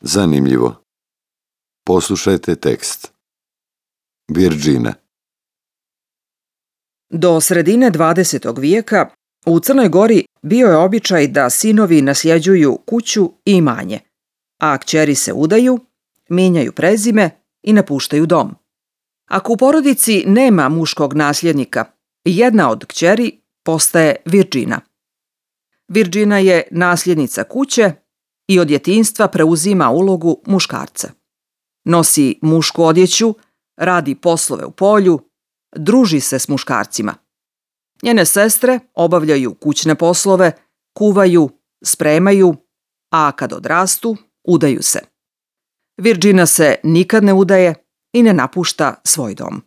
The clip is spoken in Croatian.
Zanimljivo. Poslušajte tekst. Virginia. Do sredine 20. vijeka u Crnoj Gori bio je običaj da sinovi nasljeđuju kuću i imanje, a kćeri se udaju, mijenjaju prezime i napuštaju dom. Ako u porodici nema muškog nasljednika, jedna od kćeri postaje Virgina. Virgina je nasljednica kuće i od djetinjstva preuzima ulogu muškarca. Nosi mušku odjeću, radi poslove u polju, druži se s muškarcima. Njene sestre obavljaju kućne poslove, kuvaju, spremaju, a kad odrastu, udaju se. Virgina se nikad ne udaje i ne napušta svoj dom.